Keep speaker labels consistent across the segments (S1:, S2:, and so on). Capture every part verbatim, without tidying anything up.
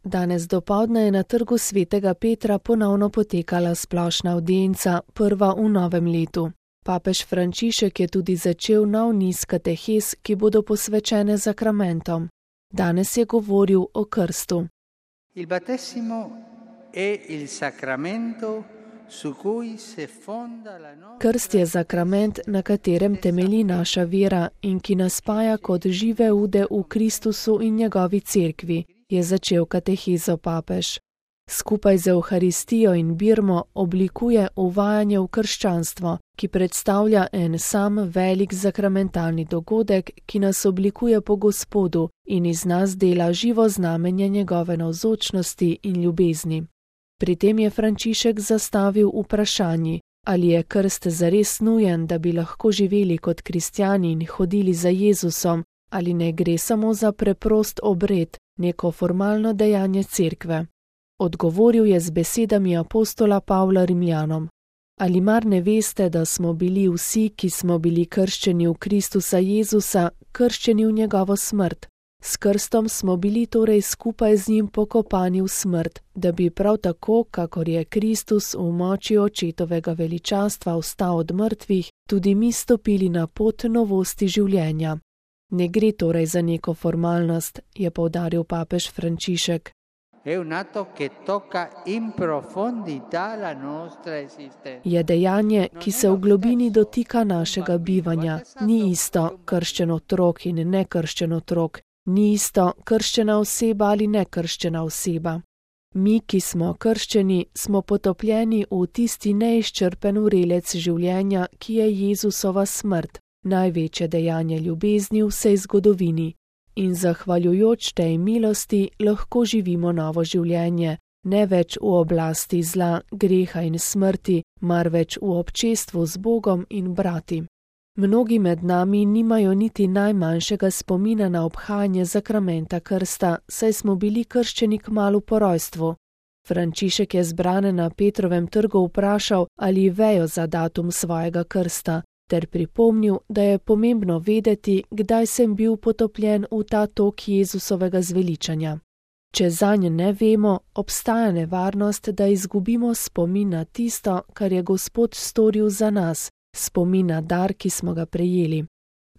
S1: Danes dopoldne je na trgu svetega Petra ponovno potekala splošna avdienca, prva v novem letu. Papež Frančišek je tudi začel nov niz katehez, ki bodo posvečene zakramentom. Danes je govoril o krstu.
S2: Il battesimo è il sacramento su cui se fonda la nostra...
S1: Krst je zakrament, na katerem temelji naša vera in ki nas spaja kot žive ude v Kristusu in njegovi cerkvi, je začel katehezo papež. Skupaj z Evharistijo in birmo oblikuje uvajanje v krščanstvo, ki predstavlja en sam velik zakramentalni dogodek, ki nas oblikuje po Gospodu in iz nas dela živo znamenje njegove navzočnosti in ljubezni. Pri tem je Frančišek zastavil vprašanje, ali je krst zares nujen, da bi lahko živeli kot kristjani in hodili za Jezusom, ali ne gre samo za preprost obred, neko formalno dejanje cerkve. Odgovoril je z besedami apostola Pavla Rimljanom. Ali mar ne veste, da smo bili vsi, ki smo bili krščeni v Kristusa Jezusa, krščeni v njegovo smrt? S krstom smo bili torej skupaj z njim pokopani v smrt, da bi prav tako, kakor je Kristus v moči očetovega veličastva vstal od mrtvih, tudi mi stopili na pot novosti življenja. Ne gre torej za neko formalnost, je poudaril papež Frančišek. Je dejanje, ki se v globini dotika našega bivanja. Ni isto krščen otrok in nekrščen otrok, ni isto krščena oseba ali nekrščena oseba. Mi, ki smo krščeni, smo potopljeni v tisti neizčrpen vrelec življenja, ki je Jezusova smrt, največje dejanje ljubezni v vsej zgodovini. In zahvaljujoč tej milosti lahko živimo novo življenje, ne več v oblasti zla, greha in smrti, marveč v občestvu z Bogom in brati. Mnogi med nami nimajo niti najmanjšega spomina na obhajanje zakramenta krsta, saj smo bili krščeni kmalu po rojstvu. Frančišek je zbrane na Petrovem trgu vprašal, ali vejo za datum svojega krsta, ter pripomnil, da je pomembno vedeti, kdaj sem bil potopljen v ta tok Jezusovega zveličanja. Če zanj ne vemo, obstaja nevarnost, da izgubimo spomin na tisto, kar je Gospod storil za nas, spomin na dar, ki smo ga prejeli.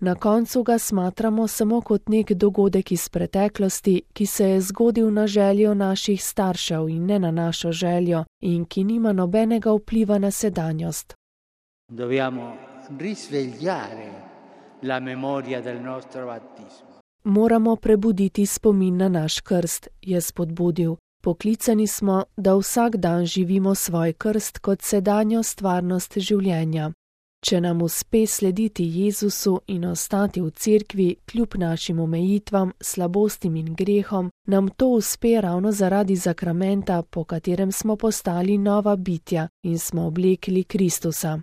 S1: Na koncu ga smatramo samo kot nek dogodek iz preteklosti, ki se je zgodil na željo naših staršev in ne na našo željo in ki nima nobenega vpliva na sedanjost.
S2: Dobbiamo risvegliare la memoria del nostro battesimo.
S1: Moramo prebuditi spomin na naš krst, je spodbudil. Poklicani smo, da vsak dan živimo svoj krst kot sedanjo stvarnost življenja. Če nam uspe slediti Jezusu in ostati v cerkvi kljub našim omejitvam, slabostim in grehom, nam to uspe ravno zaradi zakramenta, po katerem smo postali nova bitja in smo oblekli Kristusa.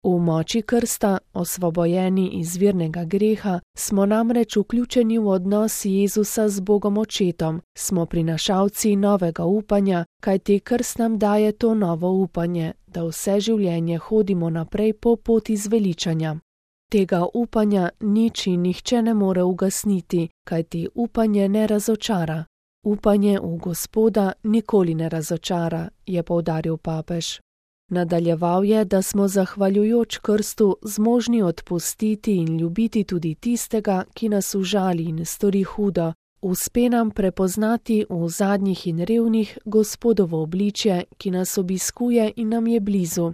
S1: V moči krsta, osvobojeni iz virnega greha, smo namreč vključeni v odnos Jezusa z Bogom Očetom, smo prinašalci novega upanja, kajti krst nam daje to novo upanje, da vse življenje hodimo naprej po poti zveličanja. Tega upanja nič in nihče ne more ugasniti, kajti upanje ne razočara. Upanje v Gospoda nikoli ne razočara, je poudaril papež. Nadaljeval je, da smo zahvaljujoč krstu zmožni odpustiti in ljubiti tudi tistega, ki nas užali in stori hudo. Uspe nam prepoznati v zadnjih in revnih Gospodovo obličje, ki nas obiskuje in nam je blizu.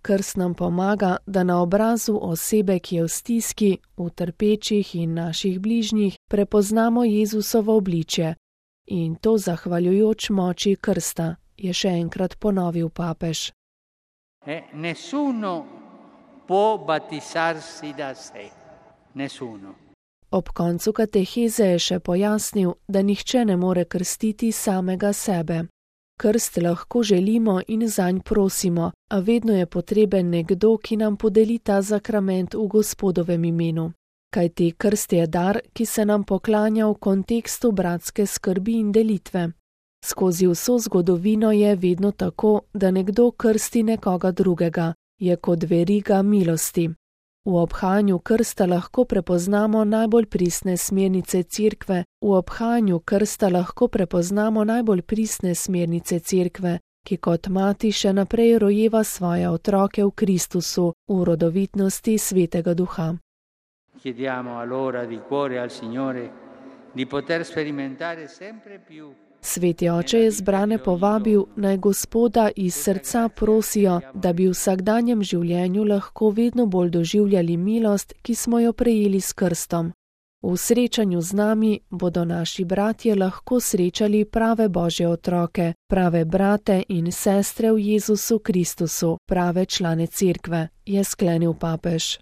S1: Krst nam pomaga, da na obrazu osebe, ki je v stiski, v trpečih in naših bližnjih, prepoznamo Jezusovo obličje. In to zahvaljujoč moči krsta, je še enkrat ponovil papež.
S2: Eh, nessuno può battezzarsi da sé. Nessuno.
S1: Ob koncu kateheze je še pojasnil, da nihče ne more krstiti samega sebe. Krst lahko želimo in zanj prosimo, a vedno je potreben nekdo, ki nam podeli ta zakrament v Gospodovem imenu. Kajti krst je dar, ki se nam poklanja v kontekstu bratske skrbi in delitve. Skozi vso zgodovino je vedno tako, da nekdo krsti nekoga drugega, je kot veriga milosti. V obhajanju krsta lahko prepoznamo najbolj pristne smernice Cerkve, v obhajanju krsta lahko prepoznamo najbolj pristne smernice Cerkve, ki kot mati še naprej rojeva svoje otroke v Kristusu, v rodovitnosti Svetega Duha.
S2: Chiediamo allora di cuore al Signore di poter sperimentare sempre più.
S1: Sveti oče je zbrane povabil, naj Gospoda iz srca prosijo, da bi v vsakdanjem življenju lahko vedno bolj doživljali milost, ki smo jo prejeli s krstom. V srečanju z nami bodo naši bratje lahko srečali prave Božje otroke, prave brate in sestre v Jezusu Kristusu, prave člane Cerkve, je sklenil papež.